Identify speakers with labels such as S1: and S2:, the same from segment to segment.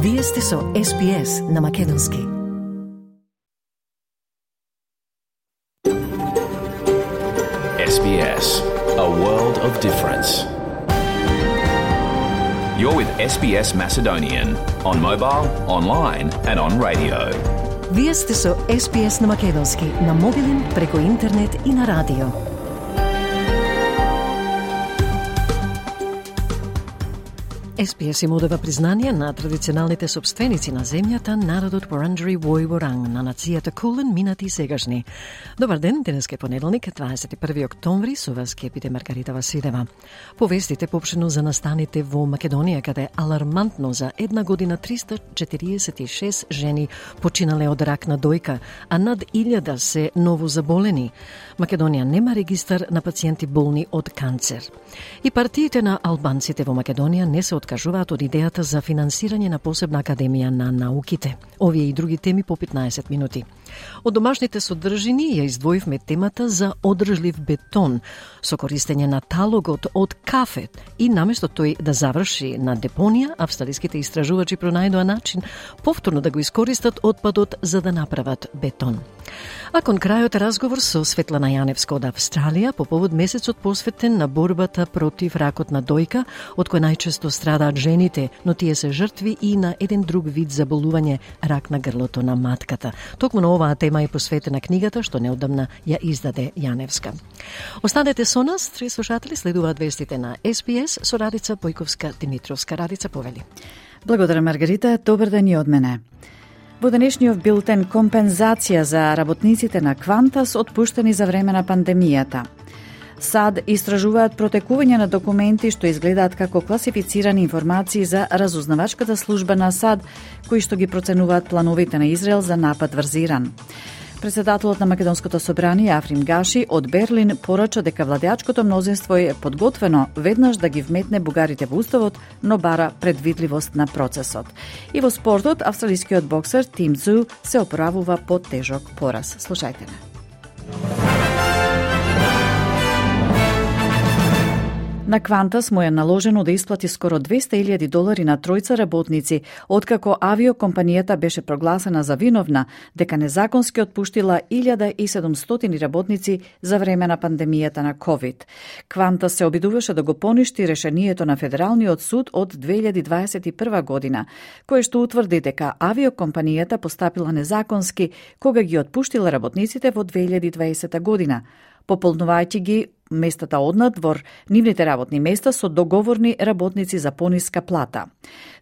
S1: Вие сте со SPS на македонски.
S2: SBS, a world of difference. You're with SBS Macedonian on mobile, online and on radio.
S1: Вие сте со SPS на македонски, на мобилен, преку интернет и на радио. SPS им одава признание на традиционалните собственици на земјата, народот Вуранџери Војворанг, на нацијата Кулен, минати и сегашни. Добар ден, денес е понеделник, 21 октомври, со вас ке биде Маргарита Василева. Повестите поопштено за настаните во Македонија, каде алармантно за една година 346 жени починале од рак на дојка, а над 1000 се новозаболени. Македонија нема регистар на пациенти болни од канцер. И партиите на албанците во Македонија не се откажуваат од идејата за финансирање на посебна академија на науките. Овие и други теми по 15 минути. Од домашните содржини ја издвоивме темата за одржлив бетон со користење на талогот од кафе и наместо тој да заврши на депонија, австралиските истражувачи пронајдоа начин повторно да го искористат отпадот за да направат бетон. А кон крајот разговор со Светлана Јаневска од Австралија по повод месецот посветен на борбата против ракот на дојка, од кој најчесто страдаат жените, но тие се жртви и на еден друг вид заболување, рак на грлото на матката. Токму на оваа тема е посветена книгата што неодамна ја издаде Јаневска. Останете со нас, три слушатели, следуваат вестите на SPS со Радица Појковска-Димитровска. Радица, повели.
S3: Благодарам, Маргарита. Добар ден и од мене. Во денешниот билтен компензација за работниците на Квантас отпуштени за време на пандемијата. САД истражуваат протекување на документи што изгледаат како класифицирани информации за разузнавачката служба на САД, кои што ги проценуваат плановите на Израел за напад врз Иран. Председателот на Македонското собрание Африм Гаши од Берлин порача дека владеачкото мнозинство е подготвено веднаш да ги вметне бугарите во уставот, но бара предвидливост на процесот. И во спортот, австралискиот боксер Тим Цзу се оправува по тежок пораз. Слушајте ме. На Квантас му е наложено да исплати скоро $200,000 на тројца работници, откако авиокомпанијата беше прогласена за виновна дека незаконски отпуштила 1700 работници за време на пандемијата на COVID. Квантас се обидуваше да го поништи решението на Федералниот суд од 2021 година, кој што утврди дека авиокомпанијата постапила незаконски кога ги отпуштила работниците во 2020 година, пополнувајќи ги местата однадвор нивните работни места со договорни работници за пониска плата.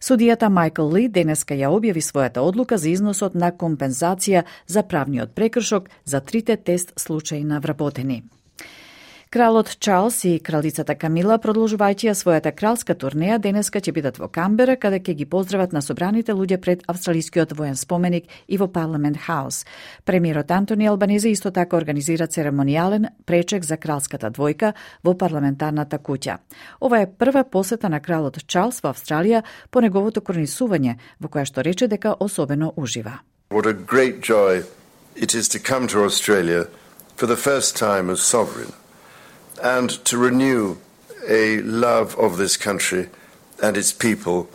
S3: Судијата Майкл Ли денеска ја објави својата одлука за износот на компензација за правниот прекршок за трите тест случаи на вработени. Кралот Чарлс и кралицата Камила, продолжувајќи ја својата кралска турнеја, денеска ќе бидат во Камбера, каде ќе ги поздрават на собраните луѓе пред австралискиот воен споменик и во Парламент Хаус. Премиерот Антони Албанезе исто така организира церемонијален пречек за кралската двојка во парламентарната куќа. Ова е прва посета на кралот Чарлс во Австралија по неговото коронисување, во која што рече дека особено ужива.
S4: What a great joy it is to come to Australia for the first time as sovereign, and to renew a love of this country and its people,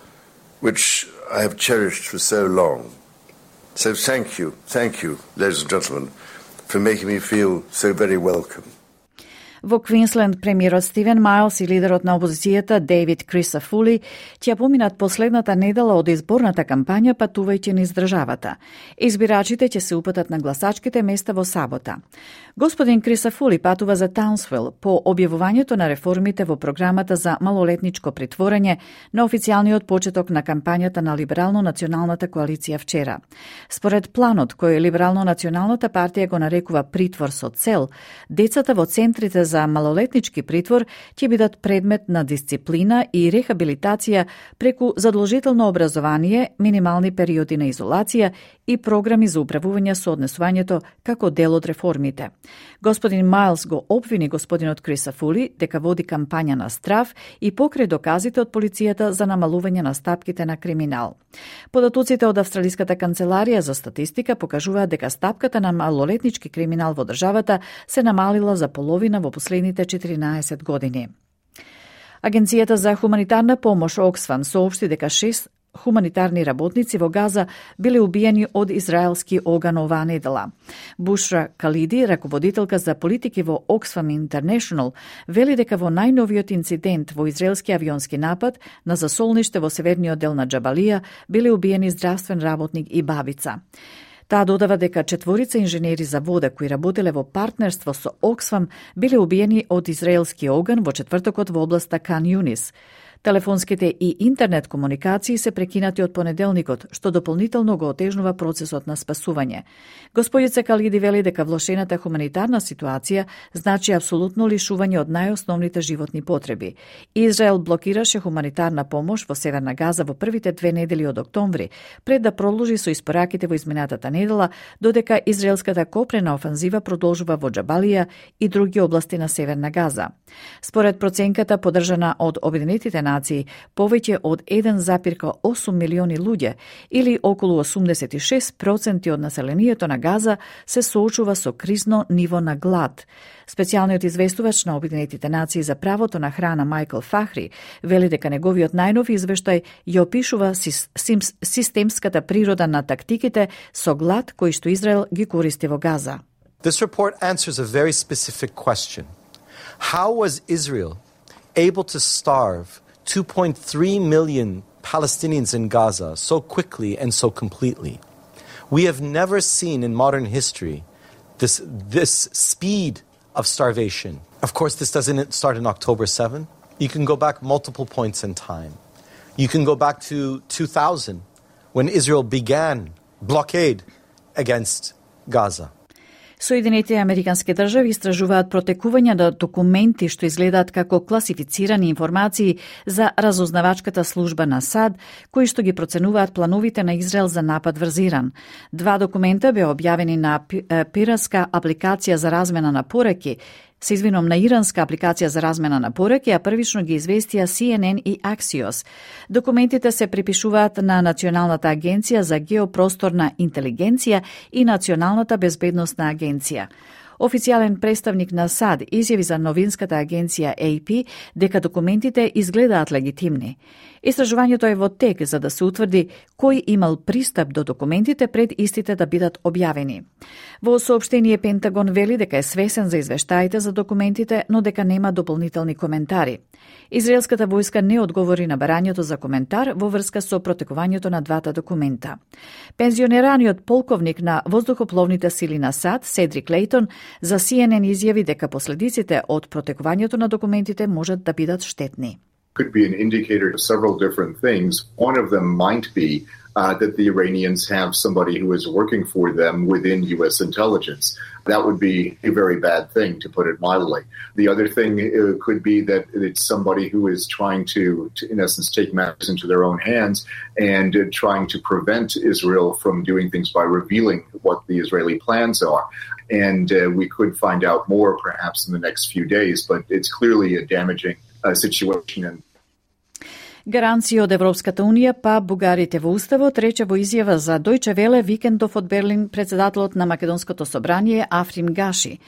S4: which I have cherished for so long. So thank you, ladies and gentlemen, for making me feel so very welcome.
S3: Во Квинсленд, премиерот Стивен Майлс и лидерот на опозицијата Дейвид Крисафули ќе поминат последната недела од изборната кампања патувајќи низ државата. Избирачите ќе се упатат на гласачките места во сабота. Господин Крисафули патува за Таунсвил по објавувањето на реформите во програмата за малолетничко притворање на официјалниот почеток на кампањата на Либерално-националната коалиција вчера. Според планот кој Либерално-националната партија го нарекува притвор со цел, децата во центрите за малолетнички притвор ќе бидат предмет на дисциплина и рехабилитација преку задолжително образование, минимални периоди на изолација и програми за управување со однесувањето како дел од реформите. Господин Майлс го обвини господинот Крисафули дека води кампања на страв и покрај доказите од полицијата за намалување на стапките на криминал. Податоците од Австралиската канцеларија за статистика покажуваат дека стапката на малолетнички криминал во државата се намалила за половина во последните 14 години. Агенцијата за хуманитарна помош Оксфам соопшти дека 6 хуманитарни работници во Газа биле убиени од израелски оган оваа недела. Бушра Калиди, раководителка за политики во Oxfam International, вели дека во најновиот инцидент во израелски авионски напад на засолниште во северниот дел на Џабалија биле убиени здравствен работник и бабица. Таа додава дека 4 инженери за вода кои работеле во партнерство со Oxfam биле убиени од израелски оган во четвртокот во областа Кан Юнис. Телефонските и интернет комуникации се прекинати од понеделникот, што дополнително го отежнува процесот на спасување. Господица Калиди вели дека влошената хуманитарна ситуација значи апсолутно лишување од најосновните животни потреби. Израел блокираше хуманитарна помош во Северна Газа во првите 2 недели од октомври, пред да продолжи со испораките во изминатата недела, додека израелската копрена офанзива продолжува во Џабалија и други области на Северна Газа. Според проценката подржана од Обединетите нации, повеќе од 1,8 милиони луѓе, или околу 86% од населението на Газа, се соочува со кризно ниво на глад. Специјалниот известувач на Обединетите нации за правото на храна Майкл Фахри вели дека неговиот најнов извештај ја опишува системската природа на тактиките со глад кои што Израел ги користи во Газа.
S5: This report answers a very specific question. How was Israel able to starve 2.3 million Palestinians in Gaza so quickly and so completely? We have never seen in modern history this speed of starvation. Of course, this doesn't start in October 7. You can go back multiple points in time. You can go back to 2000 when Israel began blockade against Gaza.
S3: Соединетите американски држави истражуваат протекување на документи што изгледаат како класифицирани информации за разузнавачката служба на САД, кои што ги проценуваат плановите на Израел за напад врз Иран. 2 документа беа објавени на пиратска апликација за размена на пораки, на иранска апликација за размена на пораки, а првично ги известија CNN и Axios. Документите се припишуваат на Националната агенција за геопросторна интелигенција и Националната безбедносна агенција. Официјален представник на САД изјави за новинската агенција AP дека документите изгледаат легитимни. Истражувањето е во тек за да се утврди кој имал пристап до документите пред истите да бидат објавени. Во соопштение Пентагон вели дека е свесен за извештаите за документите, но дека нема дополнителни коментари. Израелската војска не одговори на барањето за коментар во врска со протекувањето на 2 документа. Пензионераниот полковник на воздухопловните сили на САД, Седрик Лейтон, за CNN изјави дека последиците од протекувањето на документите можат да бидат штетни.
S6: Could be an indicator of several different things. One of them might be that the Iranians have somebody who is working for them within U.S. intelligence. That would be a very bad thing, to put it mildly. The other thing could be that it's somebody who is trying to in essence, take matters into their own hands and trying to prevent Israel from doing things by revealing what the Israeli plans are. And we could find out more perhaps in the next few days, but it's clearly a damaging situation.
S3: Гаранција од Европската Унија па бугарите во Уставот, рече во изјава за Дојче Веле викендов од Берлин председателот на Македонското собрание Африм Гаши.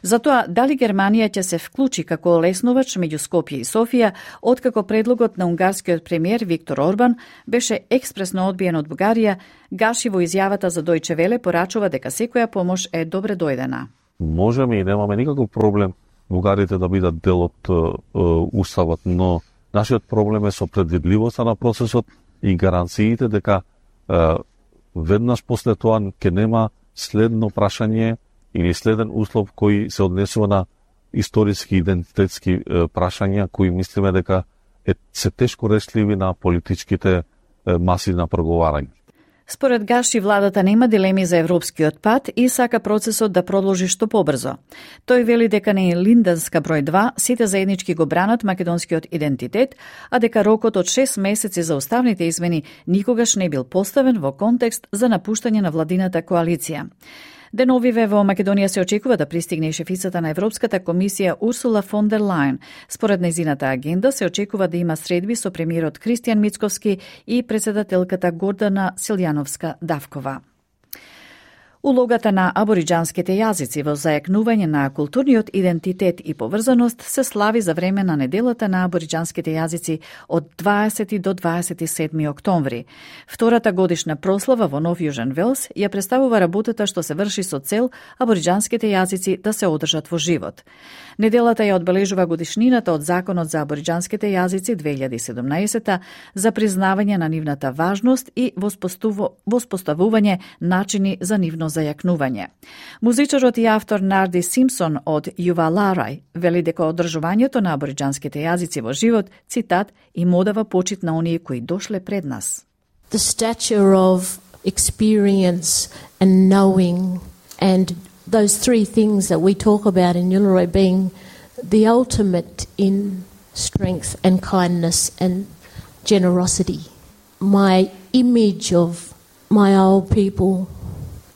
S3: Затоа, дали Германија ќе се вклучи како лесновач меѓу Скопје и Софија, откако предлогот на унгарскиот премиер Виктор Орбан беше експресно одбиен од Бугарија, Гаши во изјавата за Дојче Веле порачува дека секоја помош е добре дојдена.
S7: Можеме и немаме никаков проблем бугарите да бидат дел од Уставот, но нашиот проблем е со предвидливоста на процесот и гаранциите дека веднаш после тоа ќе нема следно прашање или следен услов кој се однесува на историски идентитетски прашања кои мислиме дека се тешко решливи на политичките маси на преговарање.
S3: Според Гаши, владата нема дилеми за европскиот пат и сака процесот да продолжи што побрзо. Тој вели дека не е Линденска број 2, сите заеднички го бранат македонскиот идентитет, а дека рокот од 6 месеци за уставните измени никогаш не бил поставен во контекст за напуштање на владината коалиција. Деновиве во Македонија се очекува да пристигне шефицата на Европската комисија Урсула фон дер Лајен. Според нејзината агенда се очекува да има средби со премиерот Кристијан Мицковски и председателката Гордана Силјановска-Давкова. Улогата на абориџанските јазици во зајакнување на културниот идентитет и поврзаност се слави за време на неделата на абориџанските јазици од 20 до 27 октомври. Втората годишна прослава во Нов Јужен Велс ја представува работата што се врши со цел абориџанските јазици да се одржат во живот. Неделата ја одбележува годишнината од Законот за абориџанските јазици 2017 за признавање на нивната важност и воспоставување начини за нивно зајакнување. Музичарот и автор Нарди Симпсон од Юваларај вели дека одржувањето на абориџанските јазици во живот, цитат, им одава почит на оние кои дошле пред нас.
S8: The stature of experience and knowing and those three things that we talk about in Uluru being the ultimate in strength and kindness and generosity. My image of my old people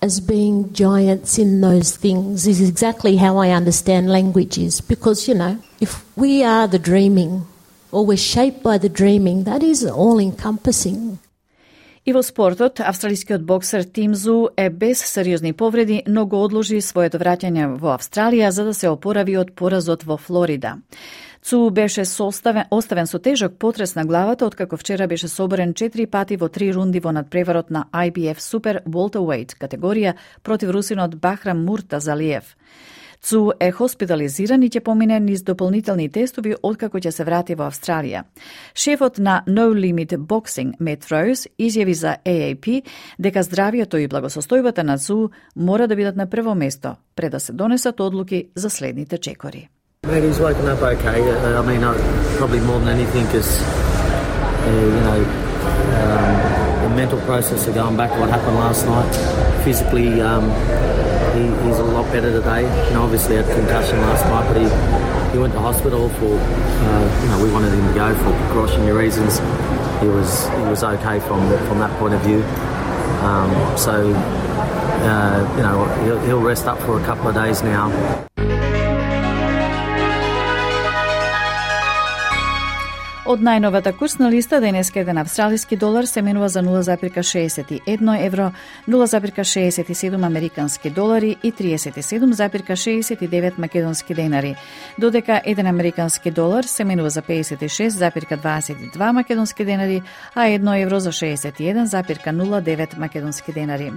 S8: as being giants in those things is exactly how I understand languages, because, you know, if we are the dreaming or we're shaped by the dreaming, that is all-encompassing.
S3: И во спортот, австралискиот боксер Тим Зу е без сериозни повреди, но го одложи своето враќање во Австралија за да се опорави од поразот во Флорида. Цу беше оставен со тежок потрес на главата, откако вчера беше соборен 4 пати во 3 рунди во надпреварот на IBF Super Welterweight категорија против русинот Бахрам Муртазалиев. Цу е хоспитализиран и ќе помине низ дополнителни тестови откако ќе се врати во Австралија. Шефот на No Limit Boxing, Matt Rose, изјави за AAP дека здравието и благосостојбата на Цу мора да бидат на прво место пред да се донесат одлуки за следните чекори.
S9: Maybe he's woken up okay. I mean, probably more than anything is, the mental process of going back to what happened last night. Physically, he's a lot better today. You know, obviously had concussion last night, but he went to hospital for, we wanted him to go for precautionary reasons. He was okay from that point of view. He'll rest up for a couple of days now.
S3: Од најновата курсна листа денеска еден австралиски долар се менува за 0,61 евро, 0,67 американски долари и 37,69 македонски денари, додека еден американски долар се менува за 56,22 македонски денари, а 1 евро за 61,09 македонски денари.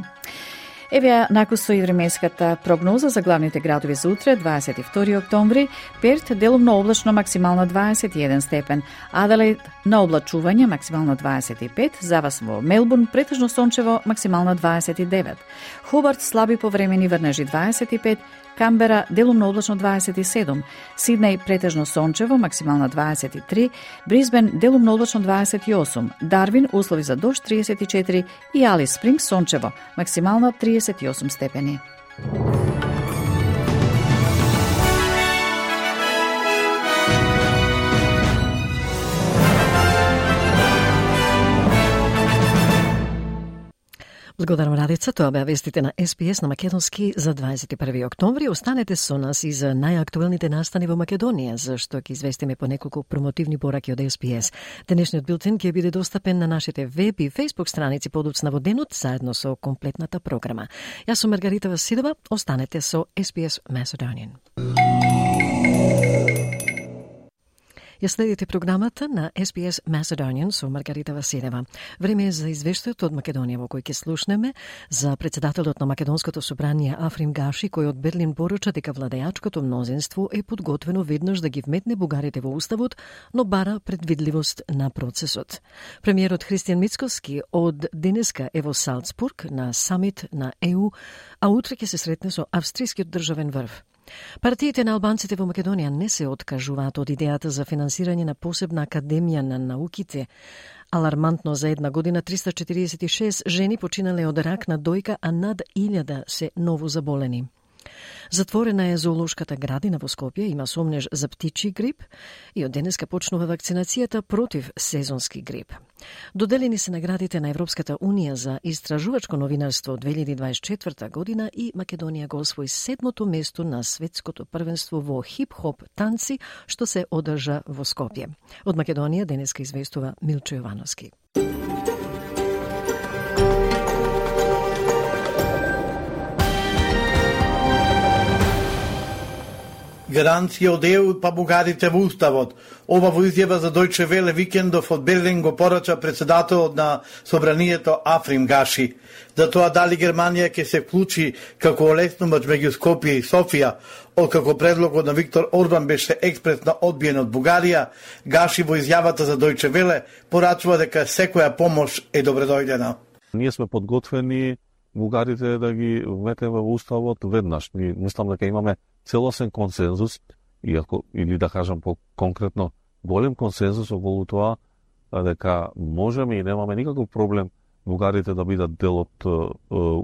S3: Еве накусо и временската прогноза за главните градови за утре, 22 октомври. Перт делумно облачно, максимално 21 степен. Аделаид на облачување, максимално 25. За вас во Мелбурн претежно сончево, максимално 29. Хобарт слаби повремени врнежи 25. Камбера делумно облачно 27, Сиднеј претежно сончево, максимално 23, Брисбен делумно облачно 28, Дарвин услови за дожд 34 и Алис Спрингс сончево, максимално 38 степени.
S1: Благодарам, Радица. Тоа беа вестите на СПС на македонски за 21 октомври. Останете со нас и за најактуелните настани во Македонија, зашто ќе известиме по неколку промотивни пораки од СПС. Денешниот билтен ќе биде достапен на нашите веб и фејсбук страници подоцна во денот, заедно со комплетната програма. Јас сум Маргарита Василева. Останете со СПС Macedonian. Ја следите програмата на SBS Macedonian со Маргарита Василева. Време е за извештајот од Македонија во кој ќе слушнеме за председателот на Македонското собрание Африм Гаши, кој од Берлин поруча дека владеачкото мнозинство е подготвено веднаш да ги вметне бугарите во уставот, но бара предвидливост на процесот. Премиерот Христијан Мицкоски од денеска е во Салцбург на самит на ЕУ, а утре ќе се сретне со австрискиот државен врв. Партиите на албанците во Македонија не се откажуваат од идејата за финансирање на посебна академија на науките. Алармантно за една година 346 жени починале од рак на дојка, а над 1000 се ново заболени. Затворена е зоолошката градина во Скопје, има сомнеж за птичи грип и од денеска почнува вакцинацијата против сезонски грип. Доделени се наградите на Европската Унија за истражувачко новинарство 2024 година и Македонија го освои 7-то место на светското првенство во хип-хоп танци, што се одржа во Скопје. Од Македонија денеска известува Милчо Јовановски.
S10: Гаранција од ЕУ па бугарите во уставот. Ова во изјава за Дојче Веле викендов од Берлин го порача председателот на Собранието Африм Гаши. За тоа дали Германија ќе се вклучи како олеснувач меѓу Скопје и Софија, откако предлогот на Виктор Орбан беше експресно одбиен од Бугарија, Гаши во изјавата за Дојче Веле порачува дека секоја помош е добредојдена.
S7: Ние сме подготвени бугарите да ги вметеме во уставот веднаш. Ние мислам дека имаме целосен консензус, или да кажам по-конкретно голем консензус околу тоа дека можеме и немаме никаков проблем бугарите да бидат дел од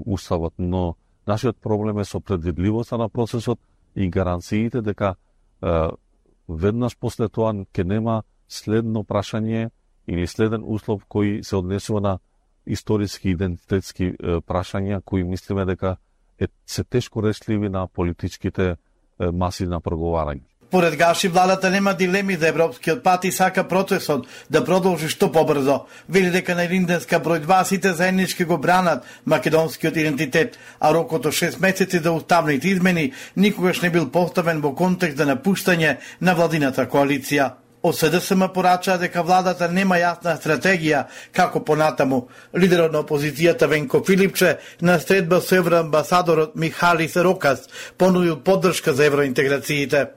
S7: уставот, но нашиот проблем е со предвидливоста на процесот и гаранциите дека веднаш после тоа ќе нема следно прашање или следен услов кој се однесува на историски идентитетски прашања кои мислиме дека се тешко решливи на политичките маси на проговарање.
S10: Поред Гаши, владата нема дилеми за европскиот пат и сака процесот да продолжи што побрзо. Вели дека на Илинденска број 2 сите заеднички го бранат македонскиот идентитет, а рокот од 6 месеци за уставните измени никогаш не бил поставен во контекст за напуштање на владината коалиција. Од СДСМ порачаа дека владата нема јасна стратегија како понатаму. Лидерот на опозицијата Венко Филипче на средба со евроамбасадорот Михалис Рокас понудил поддршка за евроинтеграциите.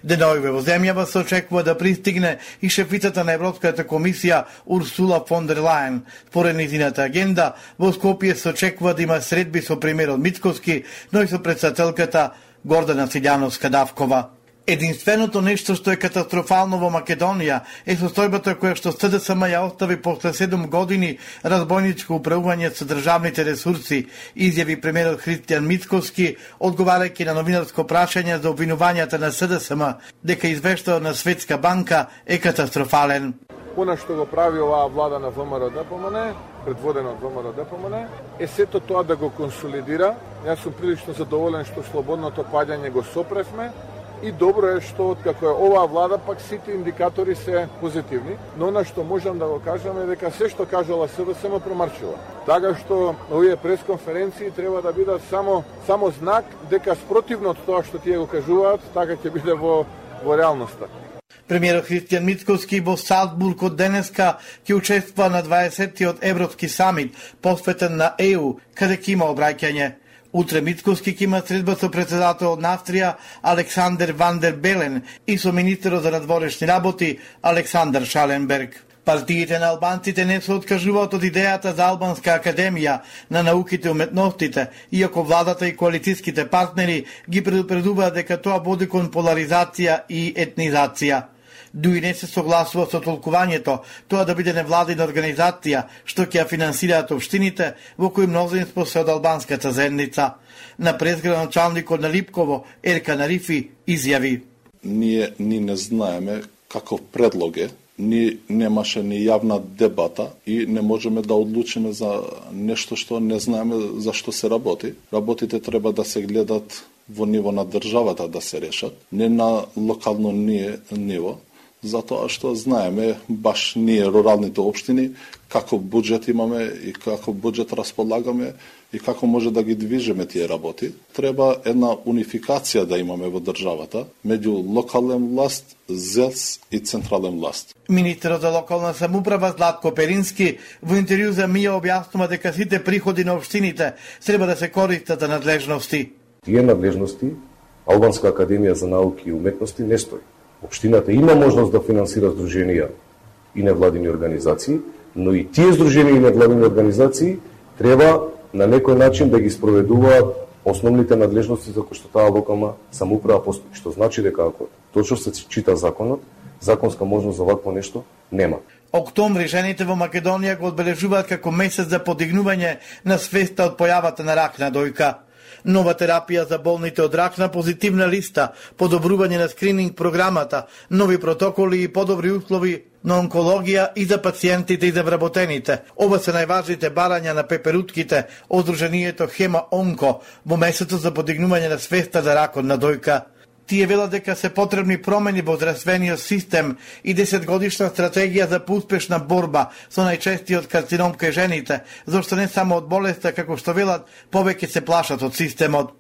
S10: Денојве во земјава се очекува да пристигне и шефицата на Европската комисија Урсула фон дер Лајен. Според низината агенда, во Скопје се очекува да има средби со премиерот Мицкоски, но и со председателката Гордана Силјановска-Давкова. Единственото нешто што е катастрофално во Македонија е состојбата која што СДСМ ја остави после 7 години разбойничко управување со државните ресурси, изјави премиерот Христијан Мицкоски, одговарајќи на новинарско прашање за обвинувањата на СДСМ дека извештаот на Светска банка е катастрофален.
S11: Она што го прави оваа влада на ВМРО-ДПМН, предводена од ВМРО-ДПМН, е сето тоа да го консолидира. Јас сум прилично задоволен што слободното паѓање го сопревме. И добро е што откако е оваа влада, пак сите индикатори се позитивни, но она што можам да го кажам е дека се што кажала СДСМ промарчува. Така што овие пресконференции треба да бидат само знак дека спротивно од тоа што тие го кажуваат, така ќе биде во реалноста.
S10: Премиерот Христијан Мицкоски во Салцбург од денеска ќе учествува на 20-тиот Европски самит, посветен на ЕУ, каде ќе има обраќање. Утре Мицкоски ќе има средба со председателот на Австрија Александер Ван дер Белен и со министерот за надворешни работи Александар Шаленберг. Партиите на албанците не се откажуваат од идејата за Албанска академија на науките и уметностите, иако владата и коалицијските партнери ги предупредуваат дека тоа води кон поларизација и етнизација. Дуи не се согласува со толкувањето тоа да биде невладина организација што ќе ја финансираат општините во кои мнозинство се од албанската заедница. На презградоначалникот на Липково Еркан Арифи изјави:
S12: Ние не знаеме каков предлог е, немаше ни јавна дебата и не можеме да одлучиме за нешто што не знаеме за што се работи. Работите треба да се гледат во ниво на државата да се решат, не на локално ниво. Затоа што знаеме баш ние руралните општини каков буџет имаме и каков буџет располагаме и како може да ги движиме тие работи. Треба една унификација да имаме во државата меѓу локален власт, ЗЕЛС и централен власт.
S10: Министерот за локална самоуправа Златко Перински во интервју за МИА објаснува дека сите приходи на општините треба да се користат за надлежности.
S13: Тие надлежности Албанска академија за науки и уметности не стои. Општината има можност да финансира здруженија и невладини организации, но и тие здруженија и невладини организации треба на некој начин да ги спроведуваат основните надлежности за кои што таа локална самоуправа постои, што значи дека ако точно се чита законот, законска можност за вакво нешто нема.
S10: Октомври жените во Македонија го одбележуваат како месец за подигнување на свеста од појавата на рак на дојка. Нова терапија за болните од рак на позитивна листа, подобрување на скрининг програмата, нови протоколи и подобри услови на онкологија и за пациентите и за вработените. Ова се најважните барања на пеперутките од Сдруженијето Хема Онко во месецот за подигнување на свеста за ракот на дојка. Тие велат дека се потребни промени во здравствениот систем и 10-годишна стратегија за поуспешна борба со најчестиот карцином кај жените, зашто не само од болеста, како што велат, повеќе се плашат од системот.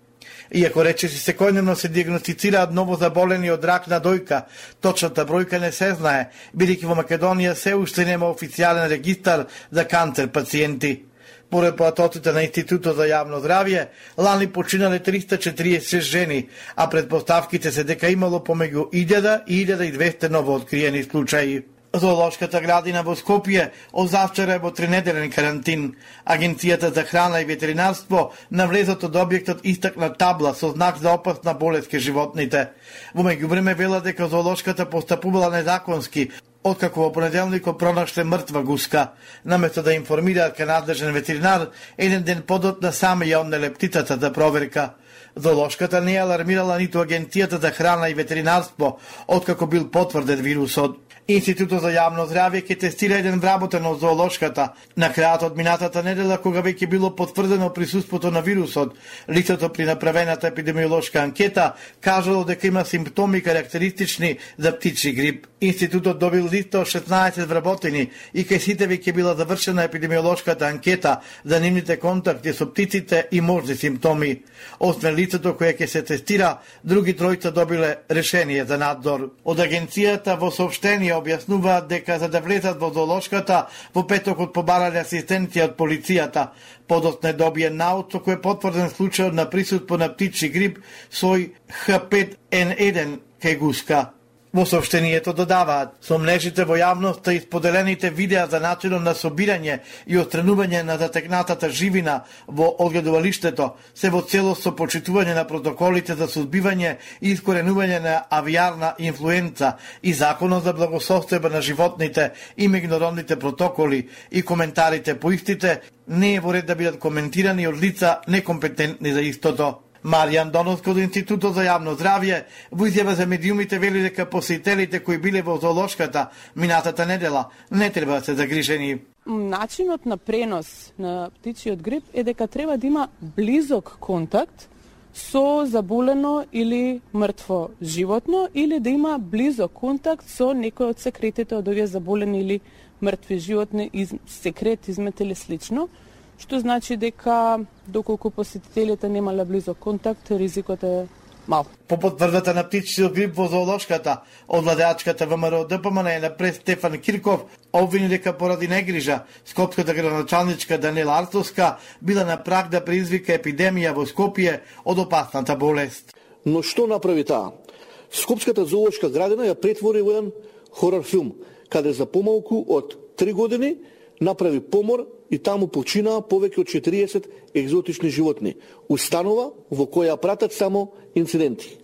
S10: Иако речиси секојдневно се диагностицираат ново заболени од рак на дојка, точната бројка не се знае, бидејќи во Македонија се уште нема официјален регистар за канцер пациенти. Поред поатоците на Институтот за јавно здравје, лани починале 346 жени, а предпоставките се дека имало помеѓу 1000 и 1200 новооткриени случаи. Зоолошката градина во Скопје од завчера е во 3-неделен карантин. Агенцијата за храна и ветеринарство на влезот од објектот истакна табла со знак за опасна болест ке животните. Во меѓувреме вела дека зоолошката постапувала незаконски, откако во понеделникот пронашле мртва гуска. Наместо да информираат ка надлежен ветеринар, еден ден подотна саме ја однеле птицата за проверка. Зоолошката не алармирала ниту Агенцијата за храна и ветеринарство, откако бил потврден вирусот. Институтот за јавно здравје ќе тестира еден вработен од зоолошката. На крајот од минатата недела, кога веќе било потврдено присуството на вирусот, лицето при направената епидемиолошка анкета кажало дека има симптоми карактеристични за птичи грип. Институтот добил листа од 16 вработени и кај сите веќе била завршена епидемиолошката анкета за нивните контакти со птиците и можни симптоми. Освен лицето кое ќе се тестира, други тројца добиле решение за надзор. Од агенцијата во соопштение објаснуваат дека за да влезат во зоолошката, во петокот побарале асистенција од полицијата. Подоцна добие наод со кој е потврден случајот на присуство на птичи грип сој H5N1 кај гуска. Во соопштението додаваат, со мрежите во јавноста и споделените видеа за начинот на собирање и отстранување на затекнатата живина во одгледувалиштето се во целост со почитување на протоколите за сузбивање и искоренување на авијарна инфлуенца и законот за благосостојба на животните и меѓународните протоколи и коментарите по истите не е во ред да бидат коментирани од лица некомпетентни за истото. Маријан Доновски од Институтот за јавно здравје во изјава за медиумите вели дека посетителите кои биле во зоолошката минатата недела не треба да се загрижени.
S14: Начинот на пренос на птичиот грип е дека треба да има близок контакт со заболено или мртво животно или да има близок контакт со некој од секретите од овие заболени или мртви животни, секрет, измет или слично, што значи дека доколку посетителите немале близок контакт, ризикот е мал.
S10: По потврдата на птичиот грип во зоолошката, од владеачката ВМРО ДПМН е напред Стефан Кирков обвини дека поради негрижа скопската градоначалничка Данела Артовска била на праг да предизвика епидемија во Скопје од опасната болест.
S15: Но што направи таа? Скопската зоолошка градина ја претвори во еден хорор филм, каде за помалку од 3 години направи помор и таму починаа повеќе од 40 екзотични животни. Установа во која пратат само инциденти.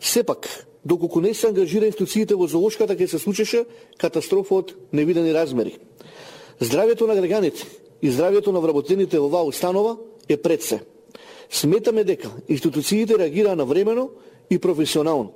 S15: Сепак, доколку не се ангажира институциите во зоолошката, ќе се случеше катастрофа од невидени размери. Здравјето на граѓаните и здравјето на вработените во оваа установа е пред се. Сметаме дека институциите реагираа навремено и професионално.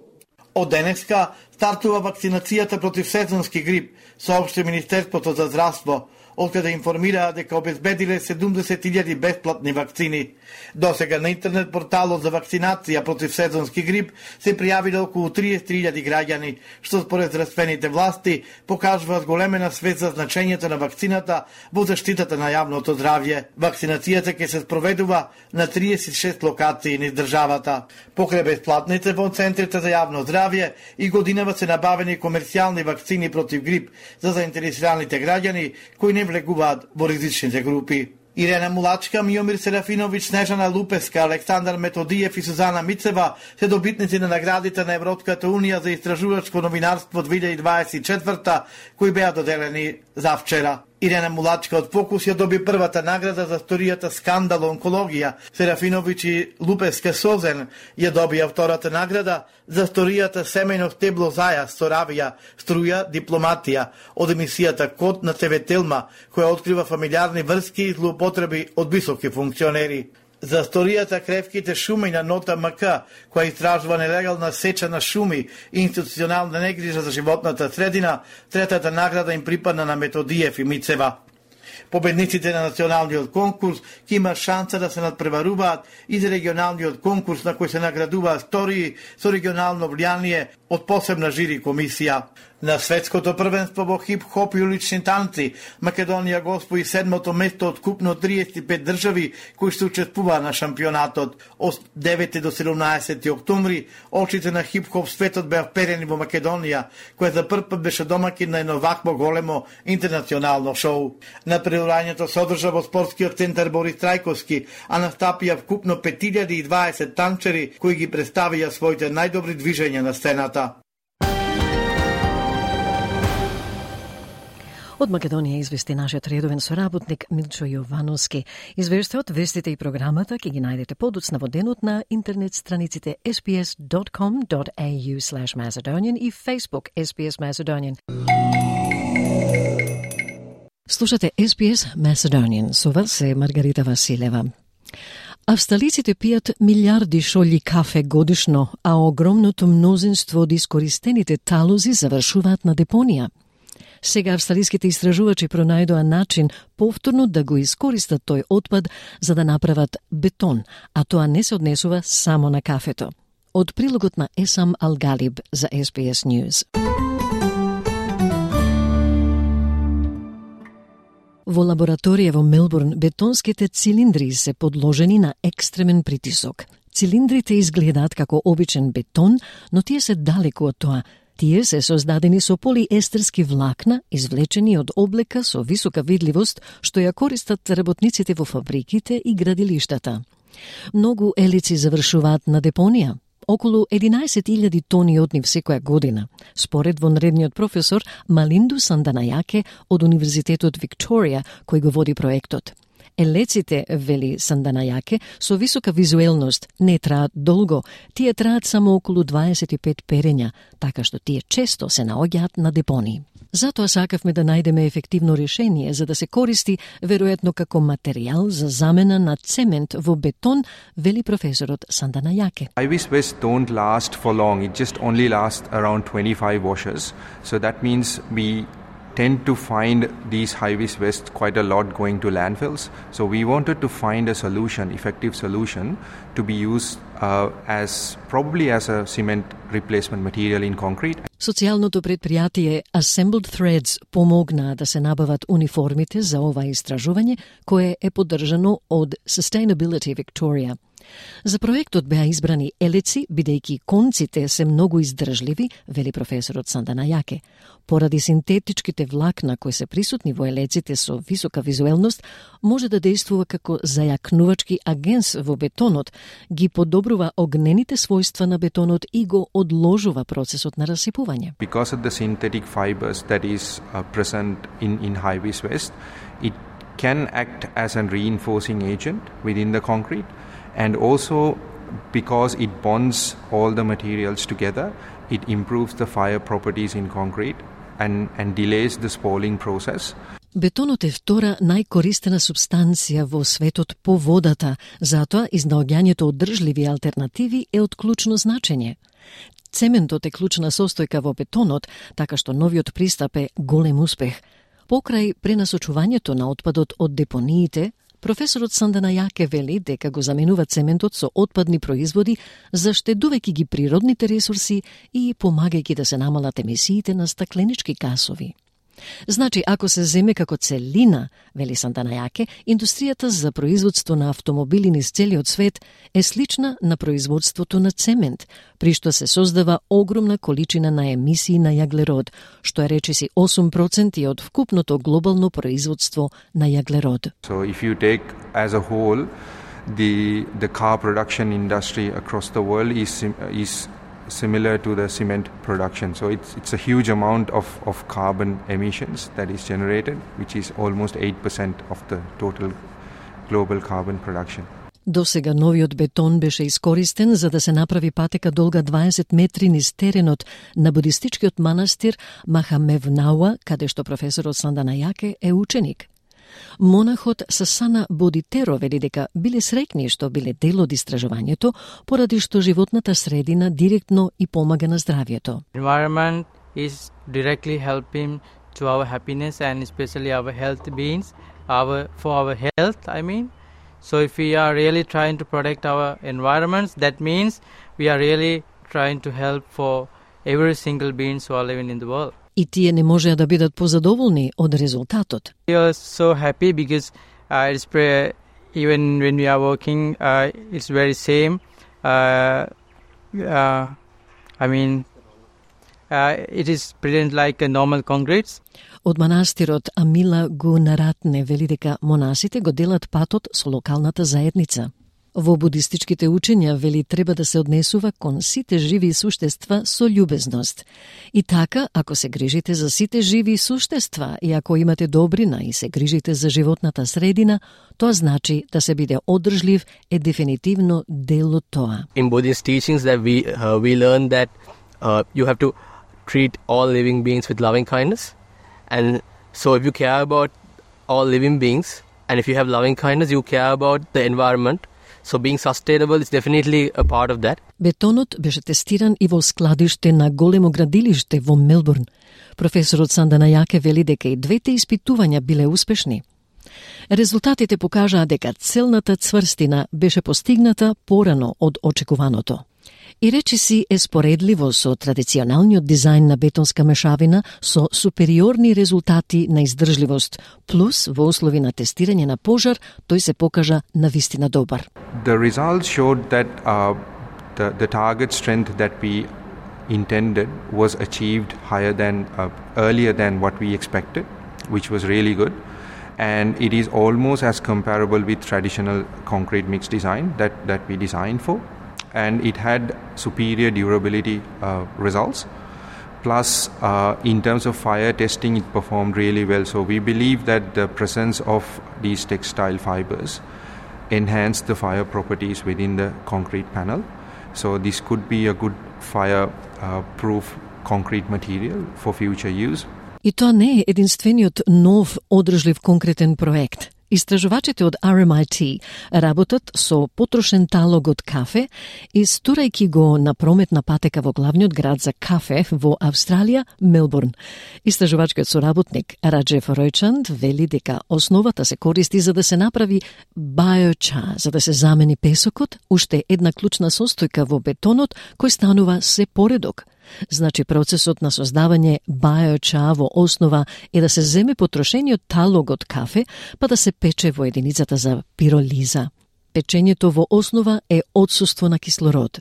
S10: Од денеска стартува вакцинацијата против сезонски грип, соопшти Министерството за здравство, откаде информираа дека обезбедиле 70.000 бесплатни вакцини. Досега на интернет порталот за вакцинација против сезонски грип се пријавиле околу 30.000 граѓани, што според здравствените власти покажува зголемена свест за значењето на вакцината во заштитата на јавното здравје. Вакцинацијата ќе се спроведува на 36 локации низ државата. Покрај бесплатните во центрите за јавно здравје и годинава се набавени комерцијални вакцини против грип за заинтересираните граѓани кои не влегуваат во ризичните групи. Ирена Мулачка, Миомир Серафиновиќ, Снежана Лупеска, Александар Методиев и Сузана Мицева се добитници на наградите на Европската унија за истражувачко новинарство 2024, кои беа доделени завчера. Ирена Мулачка од Фокус ја доби првата награда за сторијата Скандал онкологија. Серафиновиќ и Лупеска Созен ја добија втората награда за сторијата Семејно стебло зајас со равија, струја, дипломатија од емисијата Код на ТВ Телма, која открива фамилиарни врски и злоупотреби од високи функционери. За сторијата Кревките шуми на Нота МК, која истражува нелегална сеча на шуми и институционална негрижа за животната средина, третата награда им припадна на Методиев и Мицева. Победниците на националниот конкурс ќе има шанса да се надпреваруваат и за регионалниот конкурс на кој се наградуваат стории со регионално влијание од посебна жири комисија. На светското првенство во хип-хоп и улични танци, Македонија го освои 7-то место од купно 35 држави кои што учествуваа на шампионатот. Од 9 до 17 октомври, очите на хип-хоп светот беа вперени во Македонија, која за прв пат беше домакин на едно вакво големо интернационално шоу. На предавањето се одржа во спортскиот центар Борис Трајковски, а настапија вкупно 5020 танчери кои ги представија своите најдобри движења на сцената.
S1: Од Македонија извести нашиот редовен соработник Милчо Јовановски. Извештајот, вестите и програмата ќе ги најдете подоцна во денот на интернет страниците sbs.com.au/Macedonian и Facebook SBS Macedonian. Слушате SBS Macedonian, со вас е Маргарита Василева. Австралиците пијат милиарди шолји кафе годишно, а огромното мнозинство од искористените талози завршуваат на депонија. Сега австралиските истражувачи пронајдоа начин повторно да го искористат тој отпад за да направат бетон, а тоа не се однесува само на кафето. Од прилогот на Есам Алгалиб за SBS News. Во лабораторија во Мелбурн бетонските цилиндри се подложени на екстремен притисок. Цилиндрите изгледаат како обичен бетон, но тие се далеку од тоа. Тие се создадени со полиестерски влакна, извлечени од облека со висока видливост, што ја користат работниците во фабриките и градилиштата. Многу елици завршуваат на депонија. Околу 11.000 тони од нив секоја година, според вонредниот професор Малинду Санданајаке од Универзитетот Викторија, кој го води проектот. Елеците, вели Санданајаке, со висока визуелност не траат долго, тие траат само околу 25 перења, така што тие често се наоѓаат на депонии. Затоа сакавме да најдеме ефективно решение за да се користи веројатно како материјал за замена на цемент во бетон, вели професорот Санданајаке.
S16: High-vis vests don't last for long, it just only lasts around 25 washes. So that means we tend to find these high-vis vests quite a lot going to landfills. So we wanted to find a solution, effective solution, to be used as probably as a cement replacement material in concrete.
S1: Социјалното предпријатие Assembled Threads помогнаа да се набават униформите за ова истражување, кое е поддржано од Sustainability Victoria. За проектот беа избрани елеци, бидејќи конците се многу издржливи, вели професорот Санданајаке. Поради синтетичките влакна кои се присутни во елеците со висока визуелност, може да действува како зајакнувачки агенс во бетонот, ги подобрува огнените својства на бетонот и го одложува процесот на расипување.
S16: Because of the synthetic fibers that is present in high-vis vest, it can act as a reinforcing agent within the concrete. And also, because it bonds all the materials together, it improves the fire properties in concrete and delays the spalling process.
S1: Бетонот е втора најкористена субстанција во светот по водата, затоа изнаоѓањето одржливи алтернативи е од клучно значење. Цементот е клучна состојка во бетонот, така што новиот пристап е голем успех. Покрај пренасочувањето на отпадот од депониите, професорот Санданајаке вели дека го заменува цементот со отпадни производи, заштедувајќи ги природните ресурси и помагајќи да се намалат емисиите на стакленички гасови. Значи, ако се земе како целина, вели Санданајаке, индустријата за производство на автомобили низ целиот свет е слична на производството на цемент, при што се создава огромна количина на емисии на јаглерод, што е речиси 8% од вкупното глобално производство на јаглерод.
S16: So if you take as a whole the car production industry across the world is similar to the cement production. So it's a huge amount of carbon emissions that is generated, which is almost 8% of the total global carbon production.
S1: Досега новиот бетон беше искористен за да се направи патека долга 20 метри низ теренот на будистичкиот манастир Махамевнауа, каде што професорот Санданајаке е ученик. Монахот Сасана Бодитеро вели дека биле среќни што биле дел од истражувањето, поради што животната средина директно и помага на здравјето.
S17: Environment is directly helping to our happiness and especially our health beings, for our health, I mean. So if we are really trying to protect our environments, that means we are really trying to help for every single beings who are living in the world.
S1: И тие не можеа да бидат позадоволни од резултатот.
S17: We are so happy because it's even when we are working, it's very same. It is present like a normal concrete.
S1: Од манастирот Амила Гунаратне вели дека монасите го делат патот со локалната заедница. Во будистичките учења вели треба да се однесува кон сите живи суштества со љубезност. И така, ако се грижите за сите живи суштества и ако имате добрина и се грижите за животната средина, тоа значи да се биде одржлив е дефинитивно дел од тоа.
S18: In Buddhist teachings that we learn that you have to treat all living beings with loving kindness. And so if you care about all living beings and if you have loving kindness, you care about the environment. So being sustainable is definitely a part of that.
S1: Бетонот беше тестиран и во складиште на големо градилиште во Мелбурн. Професорот Сандана Јаке вели дека и двете испитувања биле успешни. Резултатите покажаа дека целната цврстина беше постигната порано од очекуваното. И речиси е споредливо со традиционалниот дизајн на бетонска мешавина со супериорни резултати на издржливост, плюс во услови на тестирање на пожар, тој се покажа навистина добар.
S16: The results showed that the target strength that we intended was achieved higher than earlier than what we expected, which was really good. And it is almost as comparable with traditional concrete mix design that we designed for. And it had superior durability results. Plus, in terms of fire testing, it performed really well. So we believe that the presence of these textile fibers enhanced the fire properties within the concrete panel. So this could be a good fire-proof concrete material for future use.
S1: И тоа не е единствениот нов одржлив конкретен проект. Истражувачите од RMIT работат со потрошен талог од кафе и стурајќи го на прометна патека во главниот град за кафе во Австралија, Мелбурн. Истражувачкиот соработник Раджеф Ројчанд вели дека основата се користи за да се направи биоча, за да се замени песокот, уште една клучна состојка во бетонот кој станува се поредок. Значи, процесот на создавање биоча во основа е да се земе потрошениот талог од кафе, па да се пече во единицата за пиролиза. Печењето во основа е отсуство на кислород.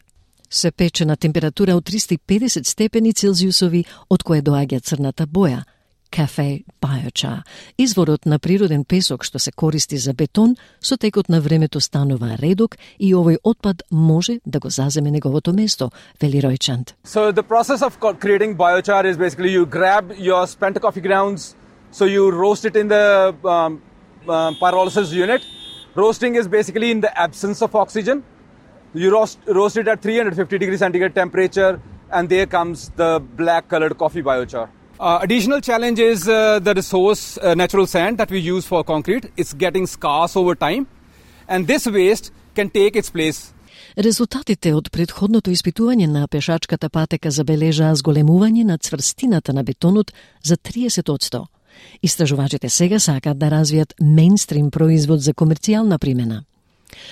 S1: Се пече на температура од 350 степени Целзиусови, од кое доаѓа црната боја. Кафе биоча. Изворот на природен песок што се користи за бетон, со текот на времето станува редок и овој отпад може да го заземе неговото место, вели Ројчанд.
S19: So the process of creating biochar is basically you grab your spent coffee grounds, so you roast it in the pyrolysis unit. Roasting is basically in the absence of oxygen. You roast it at 350 degrees centigrade temperature, and there comes the black colored coffee biochar. Additional challenge is the resource, natural sand that we use for concrete. It's getting scarce over time, and this waste can take its place.
S1: Резултатите од претходното испитување на пешачката патека забележаа зголемување на цврстината на бетонот за 30%. Истражувачите сега сакаат да развијат мејнстрим производ за комерцијална примена.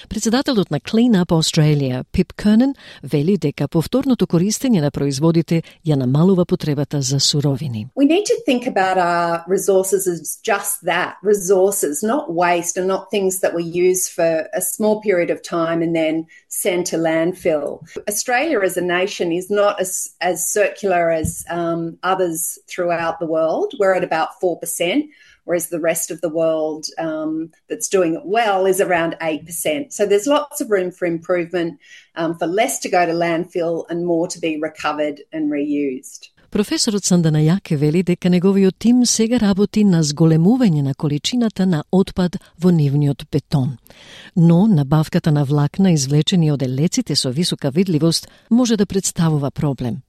S1: Председателот на Clean Up Australia, Pip Kernan, вели дека повторното користење на производите ја намалува потребата за суровини.
S20: We need to think about our resources as just that, resources, not waste and not things that we use for a small period of time and then send to landfill. Australia as a nation is not as circular as others throughout the world. We're at about 4%. Whereas the rest of the world that's doing it well is around 8%. So there's lots of room for improvement, for less to go to landfill and more to be recovered and reused.
S1: Професорот Сандана Јаке вели дека неговиот тим сега работи на зголемување на количината на отпад во нивниот бетон. Но набавката на влакна извлечени од елеците со висока видливост може да представува проблем.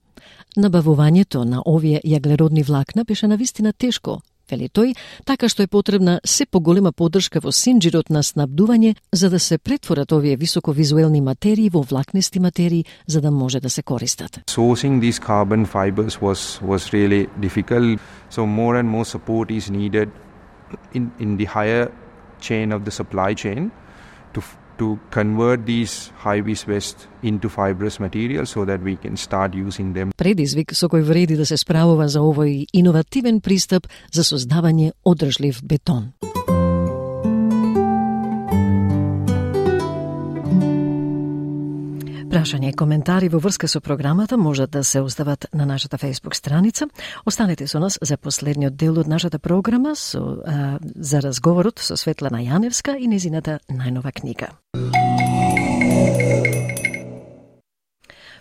S1: Набавувањето на овие јаглеродни влакна беше навистина тешко, вели тој, така што е потребна се поголема поддршка во синџирот на снабдување за да се претворат овие високовизуелни материи во влакнести материи за да може да се користат.
S16: Sourcing these carbon fibers was really difficult, so more and more support is needed in the higher chain of the supply chain to convert these high-vis vests into fibrous material so that we can start using them.
S1: Предизвик со кој вреди да се справува за овој иновативен пристап за создавање одржлив бетон. Прашања и коментари во врска со програмата можат да се остават на нашата Facebook страница. Останете со нас за последниот дел од нашата програма за разговорот со Светлана Јаневска и незината најнова книга.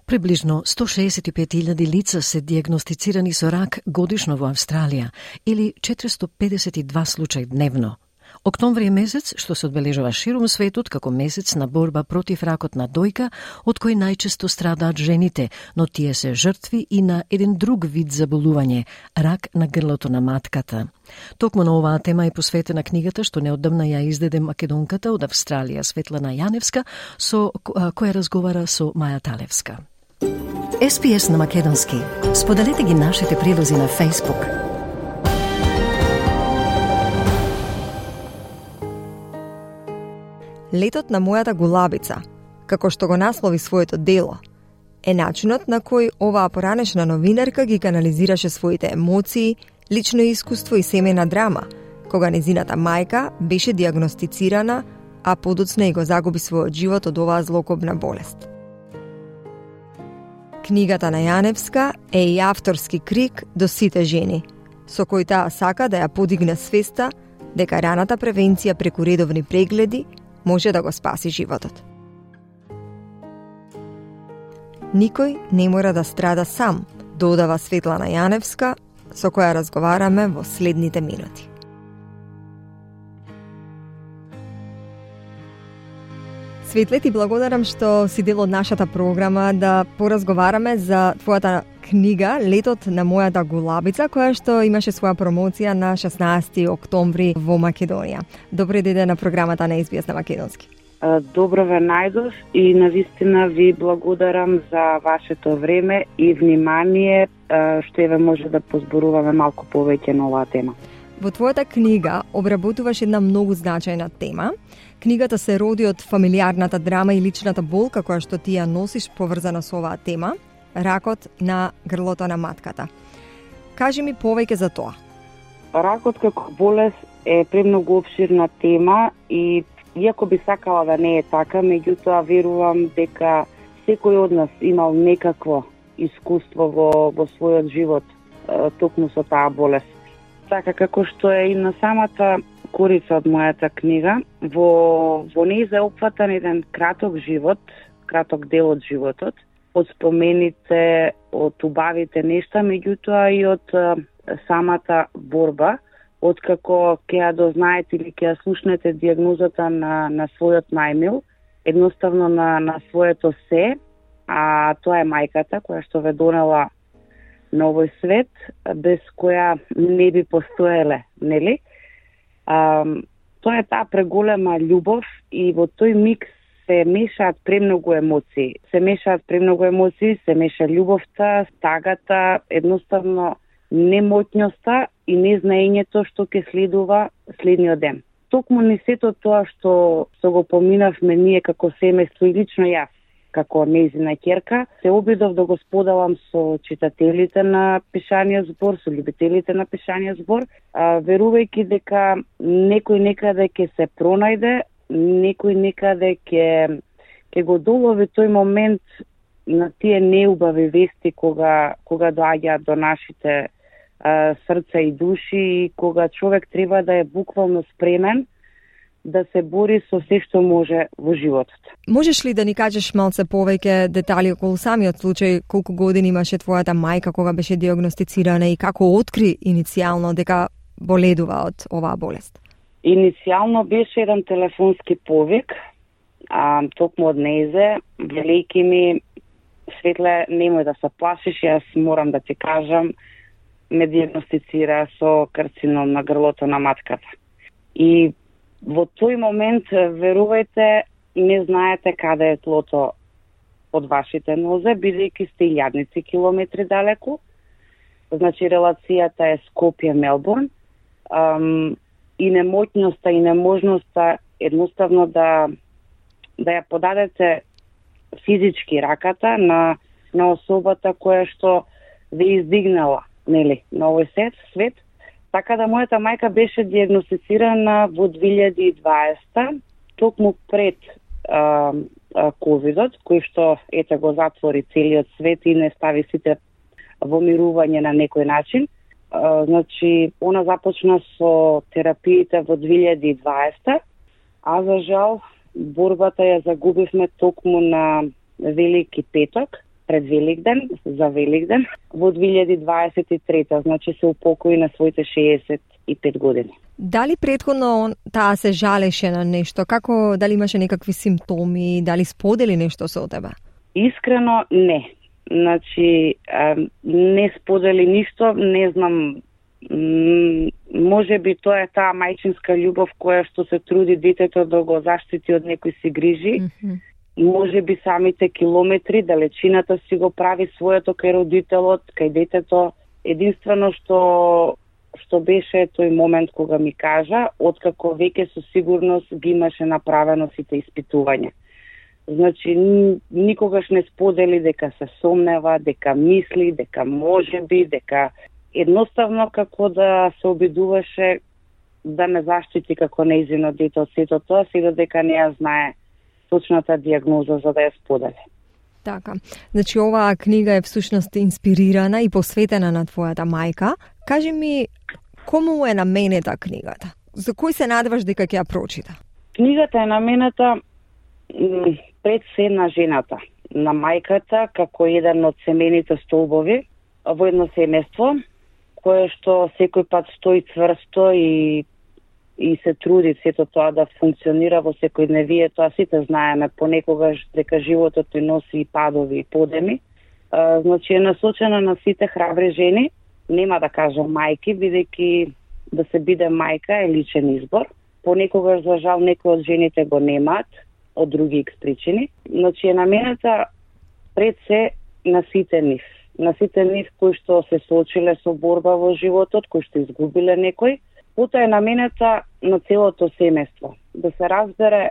S1: Приближно 165.000 лица се диагностицирани со рак годишно во Австралија или 452 случаи дневно. Октомври е месец што се одбележува широм светот како месец на борба против ракот на дојка, од кој најчесто страдаат жените, но тие се жртви и на еден друг вид заболување – рак на грлото на матката. Токму на оваа тема е посветена книгата што неодамна ја издаде македонката од Австралија Светлана Јаневска, со која разговара со Маја Талевска. SPS на македонски. Споделете ги нашите прилози на Facebook.
S21: Летот на мојата гулабица, како што го наслови своето дело, е начинот на кој оваа поранешна новинарка ги канализираше своите емоции, лично искуство и семејна драма, кога незината мајка беше диагностицирана, а подоцна и го загуби својот живот од оваа злокобна болест. Книгата на Јаневска е и авторски крик до сите жени, со кој таа сака да ја подигне свеста дека раната превенција преку редовни прегледи може да го спаси животот. Никој не мора да страда сам, додава Светлана Јаневска, со која разговараме во следните минути. Светле, ти благодарам што си дел од нашата програма да поразговараме за твојата книга Летот на мојата гулабица, која што имаше своја промоција на 16 октомври во Македонија. Добре дојде на програмата на SBS на македонски.
S22: Добро ве најдов и навистина ви благодарам за вашето време и внимание што еве може да позборуваме малку повеќе на оваа тема.
S21: Во твојата книга обработуваш една многу значајна тема. Книгата се роди од фамилиарната драма и личната болка која што ти ја носиш поврзана со оваа тема, ракот на грлото на матката. Кажи ми повеќе за тоа.
S22: Ракот како болест е премногу обширна тема и иако би сакала да не е така, меѓутоа верувам дека секој од нас имал некакво искуство во својот живот токму со таа болест. Така како што е и на самата корица од мојата книга, во неја е опфатан еден краток живот, краток дел од животот, од спомените, од убавите нешта, меѓутоа и од самата борба, откако ќе ја дознаете или ќе ја слушнете диагнозата на својот најмил, едноставно на своето се, а тоа е мајката која што ве донела на овој свет, без која не би постоеле, нели? Тоа е таа преголема љубов и во тој миг се мешаат премногу емоции. Се меша љубовта, стагата, едноставно немотњоста и незнаењето што ќе следува следниот ден. Токму не сето тоа што го поминавме ние како семејство и лично јас, како нејзина ќерка, се обидов да го споделам со читателите на пишаниот збор, со љубителите на пишаниот збор, верувајќи дека некој некаде ќе се пронајде, некој некаде ќе го долови тој момент на тие неубави вести кога доаѓаат до нашите срца и души и кога човек треба да е буквално спремен да се бори со се што може во животот.
S21: Можеш ли да ни кажеш малце повеќе детали околу самиот случај, колку години имаше твојата мајка кога беше диагностицирана и како откри иницијално дека боледува од оваа болест?
S22: Иницијално беше еден телефонски повик, токму од нејзе, велејќи ми, Светле, немој да се плашиш, јас морам да ти кажам, ме диагностицира со карцином на грлото на матката. И во тој момент, верувајте, не знаете каде е тлото од вашите нозе, бидејќи сте илјадници километри далеку. Значи, релацијата е Скопје-Мелбурн. И немотњоста и неможноста едноставно да да ја подадете физички раката на особата која што ве издигнала, нели, на овој свет. Така да мојата мајка беше диагностицирана во 2020, токму пред ковидот, кој што го затвори целиот свет и не стави сите во мирување на некој начин. Значи, она започна со терапиите во 2020, а за жал борбата ја загубивме токму на Велики петок, пред Великден, за Великден, во 2023, значи се упокои на своите 65 години.
S21: Дали претходно таа се жалеше на нешто? Како, дали имаше некакви симптоми, дали сподели нешто со тебе?
S22: Искрено не. Значи, не сподели ништо, не знам, може би тоа е таа мајчинска љубов која што се труди детето да го заштити од некој си грижи. Може би самите километри, далечината си го прави своето кај родителот, кај детето. Единствено што беше тој момент кога ми кажа, откако веќе со сигурност ги имаше направено сите испитувања. Значи, никогаш не сподели дека се сомнева, дека мисли, дека може би, дека едноставно како да се обидуваше да ме заштити како нејзино дете од сето тоа, се додека не ја знае точната диагноза за да ја сподели.
S21: Така. Значи, оваа книга е всушност инспирирана и посветена на твојата мајка. Кажи ми, кому е наменета книгата? За кој се надеваш дека ќе ја прочита?
S22: Книгата е наменета пред се на жената, на мајката, како еден од семејните столбови во едно семејство, кое што секој пат стои цврсто и се труди сето тоа да функционира во секојдневие. Тоа сите знаеме понекогаш дека животот ни носи и падови и подеми. Значи е насочена на сите храбри жени, нема да кажам мајки, бидејќи да се биде мајка е личен избор. Понекогаш, за жал, некои од жените го немаат, од други причини. Значи е наменета пред се на сите нив. На сите нив кои што се соочиле со борба во животот, кои што изгубиле некој. Потоа е наменета на целото семејство. Да се разбере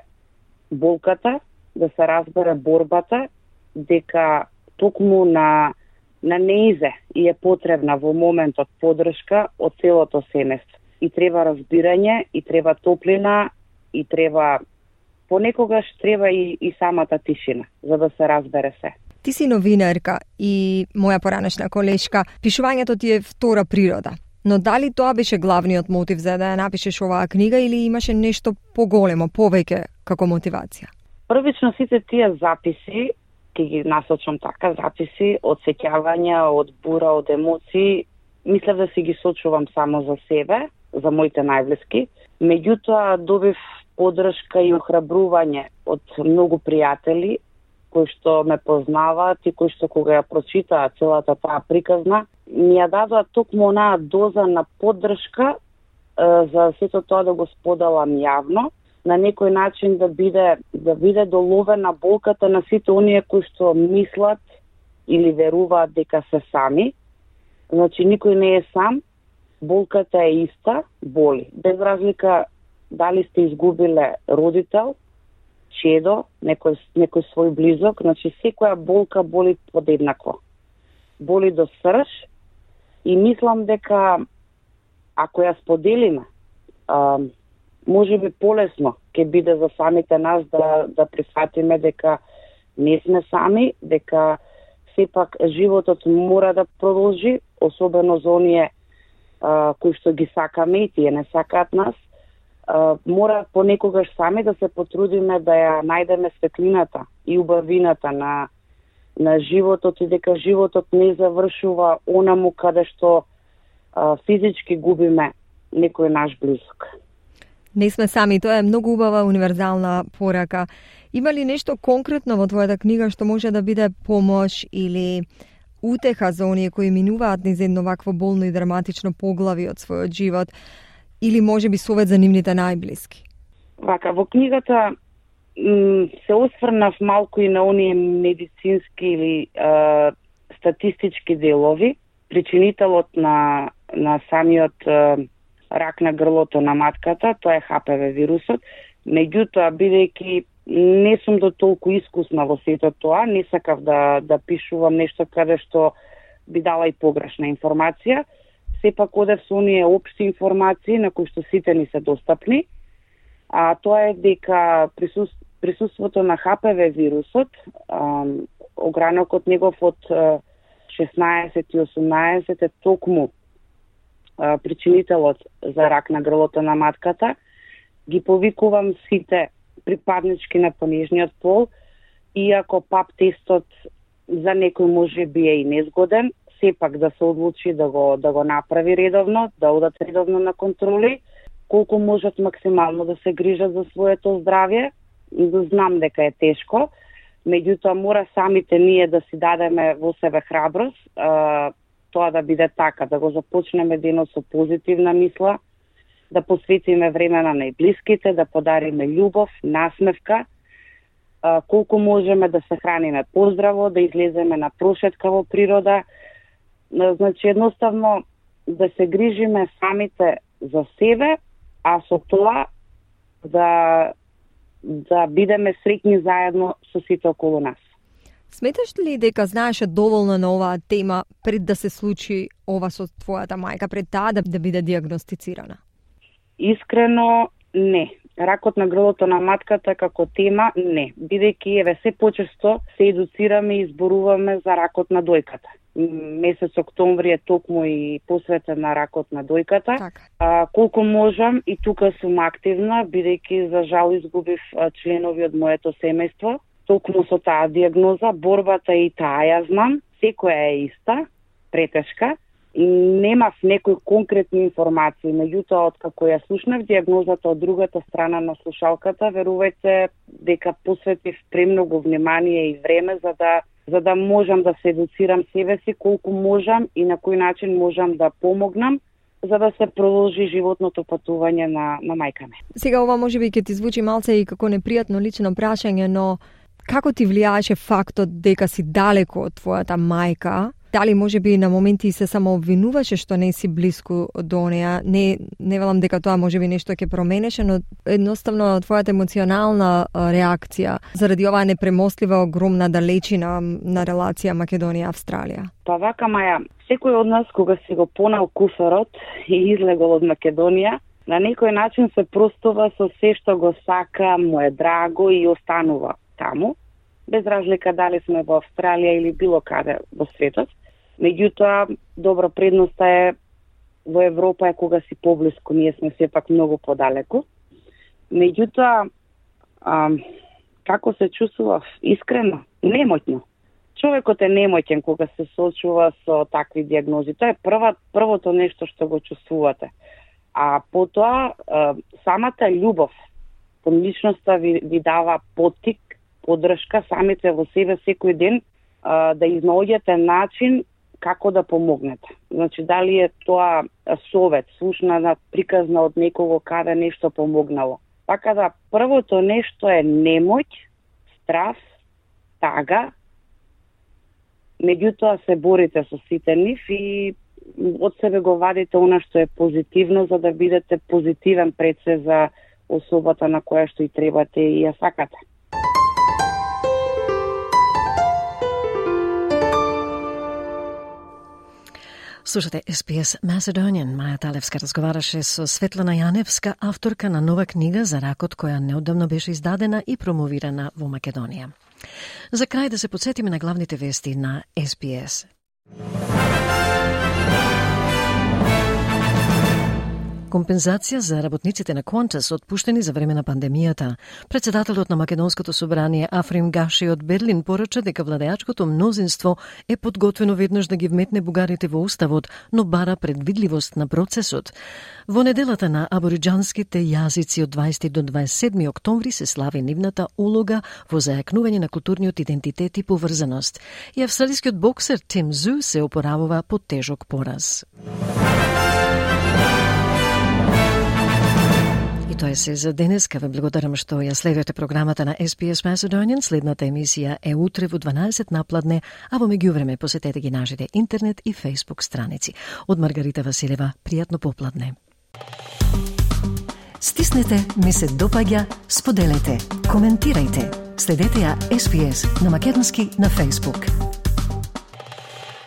S22: болката, да се разбере борбата, дека токму на неизе и е потребна во моментот поддршка од целото семејство. И треба разбирање, и треба топлина, и треба понекогаш треба и самата тишина, за да се разбере се.
S21: Ти си новинарка и моја поранешна колешка. Пишувањето ти е втора природа. Но дали тоа беше главниот мотив за да ја напишеш оваа книга или имаше нешто поголемо, повеќе како мотивација?
S22: Првично сите тие записи, ќе ги насочам така, записи од сеќавања, од бура, од емоции, мислев да си ги сочувам само за себе, за моите најблиски. Меѓутоа добив поддршка и охрабрување од многу пријатели кои што ме познаваат и кои што кога ја прочитаа целата таа приказна, ми ја дадоа токму онаа доза на поддршка за сето тоа да го споделам јавно, на некој начин да биде доловена болката на сите оние кои што мислат или веруваат дека се сами. Значи никој не е сам, болката е иста, боли. Без разлика дали сте изгубиле родител, чедо, некој свој близок, значи секоја болка боли подеднакво. Боли до срж и мислам дека ако ја споделиме, може би полесно ќе биде за самите нас да прифатиме дека не сме сами, дека сепак животот мора да продолжи, особено за оние кои што ги сакаме и тие не сакаат нас. Мора понекогаш сами да се потрудиме да ја најдеме светлината и убавината на животот и дека животот не завршува онаму каде што физички губиме некој наш близок.
S21: Не сме сами, тоа е многу убава универзална порака. Има ли нешто конкретно во твојата книга што може да биде помош или утеха за оние кои минуваат низ едно вакво болно и драматично поглави од својот живот, или може би совет за нивните најблиски?
S22: Вака, во книгата се осврнав малку и на оние медицински или статистички делови. Причинителот на самиот рак на грлото на матката, тоа е ХПВ вирусот. Меѓутоа, бидејќи Не сум до толку искусна во сето тоа, не сакав да пишувам нешто каде што би дала и погрешна информација. Сепак одев со оние општи информации на кои што сите ни се достапни. А тоа е дека присуството на ХПВ вирусот, огранокот негов од 16 и 18 е токму причинителот за рак на грлото на матката. Ги повикувам сите припаднички на понижниот пол, иако ПАП тестот за некој може би е и незгоден, сепак да се одлучи да го направи редовно, да одат редовно на контроли, колку можат максимално да се грижат за своето здравје. Знам дека е тешко, меѓутоа мора самите ние да си дадеме во себе храброст, тоа да биде така, да го започнеме денот со позитивна мисла, да посветиме време на најблиските, да подариме љубов, насмевка, колку можеме да се храниме поздраво, да излеземе на прошетка во природа. Значи, едноставно да се грижиме самите за себе, а со тоа да бидеме среќни заедно со сите околу нас.
S21: Сметаш ли дека знаеше доволно на оваа тема пред да се случи ова со твојата мајка, пред таа да биде диагностицирана?
S22: Искрено, не. Ракот на грлото на матката како тема, не. Бидејќи еве се почесто се едуцираме и зборуваме за ракот на дојката. Месец октомври е токму и посветен на ракот на дојката. Колку можам и тука сум активна, бидејќи за жал изгубив членови од моето семејство. Токму со таа диагноза, борбата и таа ја знам, секоја е иста, претешка. Немав некои конкретни информации, меѓутоа откако ја слушнав диагнозата од другата страна на слушалката, верувајте дека посветив премногу внимание и време за да можам да се едуцирам себе си колку можам и на кој начин можам да помогнам за да се продолжи животното патување на мајка ми.
S21: Сега ова можеби ќе ти звучи малце и како непријатно лично прашање, но како ти влијаеше фактот дека си далеко од твојата мајка? Дали можеби на моменти се само обвинуваше што не си близко до неа? Не велам дека тоа можеби нешто ќе променеше, но едноставно твојата емоционална реакција заради оваа непремостлива огромна далечина на релација Македонија-Австралија.
S22: Па вака, Маја, секој од нас кога си го понал куферот и излегол од Македонија, на некој начин се простува со се што го сака, му е драго и останува таму, без разлика дали сме во Австралија или било каде во светот. Меѓутоа, добро, предноста е во Европа е кога си поблиску, ние сме сепак многу подалеку. Меѓутоа, како се чувствував? Искрено, немотно. Човекот е немотен кога се соочува со такви диагнози. Тоа е првото нешто што го чувствувате. А потоа, самата љубов кон личноста ви дава поттик, поддршка самите во себе секој ден да изнаоѓате начин како да помогнете. Значи, дали е тоа совет, слушна, приказна од некого каде нешто помогнало. Така да, првото нешто е немоќ, страв, тага, меѓутоа се борите со сите нив и од себе го вадите она што е позитивно, за да бидете позитивен пред се за особата на која што и требате и ја сакате.
S1: Слушате SBS Macedonian. Маја Талевска разговараше со Светлана Јаневска, авторка на нова книга за ракот која неодамно беше издадена и промовирана во Македонија. За крај да се подсетиме на главните вести на SBS. Компензација за работниците на Qantas отпуштени за време на пандемијата. Председателот на Македонското собрание Африм Гаши од Берлин порача дека владеачкото мнозинство е подготвено веднаш да ги вметне бугарите во уставот, но бара предвидливост на процесот. Во неделата на абориџанските јазици од 20 до 27 октомври се слави нивната улога во зајакнување на културниот идентитет и поврзаност. И австралискиот боксер Тим Зу се опоравува под тежок пораз. Тоа е се за денеска. Ве благодарам што ја следите програмата на SBS Macedonian. Следната емисија е утре во 12 напладне, а во меѓувреме посетете ги нашите интернет и Facebook страници. Од Маргарита Василева, пријатно попладне. Стиснете ми се допаѓа, споделете, коментирајте. Следете ја SPS на македонски на Facebook.